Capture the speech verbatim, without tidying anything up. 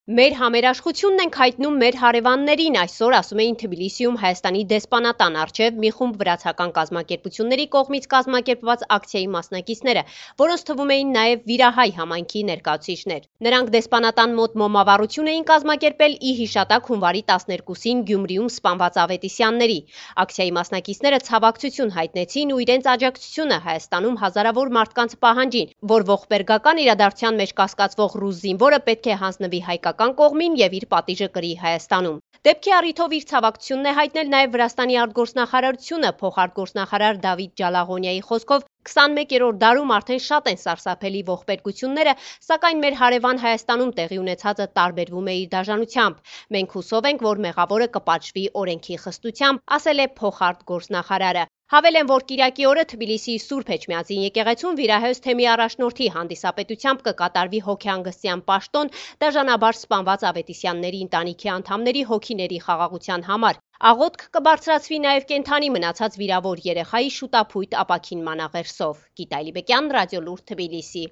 Մեր համերաշխությունն ենք հայտնում մեր հարևաններին, այսօր ասում էին Թբիլիսիում Հայաստանի դեսպանատան առջև մի խումբ վրացական կազմակերպությունների կողմից կազմակերպված ակցիայի մասնակիցները, որոնց թվում էին նաև վիրահայ համայնքի ներկայացուցիչներ։ Նրանք դեսպանատան մոտ մոմավառություն էին կազմակերպել ի հիշատակ հունվարի տասներկուսին Գյումրիում սպանված ավետիսյանների։ Ակցիայի մասնակիցները ցավակցություն հայտնեցին ու իրենց աջակցությունը Հայաստանում հազարավոր մարդկանց պահանջին, որ ողբերգական իրադարձության մեջ կասկածվող ռուս զինվորը պետք է հանձնվի հայկական կողմին եւ իր պատիժը կրի Հայաստանում։ Դեպքի առիթով իր ցավակցությունն է հայտնել նաև Վրաստանի արտգործնախարարությունը, փոխարտգործնախարար Դավիթ Ջալաղոնիայի խոսքով քսանմեկերորդ դարում արդեն շատ են սարսափելի ողբերգությունները, սակայն մեր հարևան Հայաստանում տեղի ունեցածը տարբերվում է իր դաժանությամբ։ Մենք հուսով ենք, որ մեղավորը կպատժվի օրենքի խստությամբ, ասել է փոխարտգործնախարարը։ Հավելեն, որ կիրակի օրը Թբիլիսիի Սուրբ Էջմիածին եկեղեցում վիրահայոց թեմի առաջնորդի հանդիսապետությամբ կկատարվի հոգեհանգստյան պաշտոն դաժանաբար սպանված ավետիսյանների ընտանիքի անդամների հոգիների խաղաղության համար։ Աղոթք կբարձրացվի նաև կենդանի մնացած վիրավոր երեխայի շուտափույթ ապաքինման աղերսով։ Գիտալի Բեկյան, Ռադիոլուրդ, Թբիլիսի։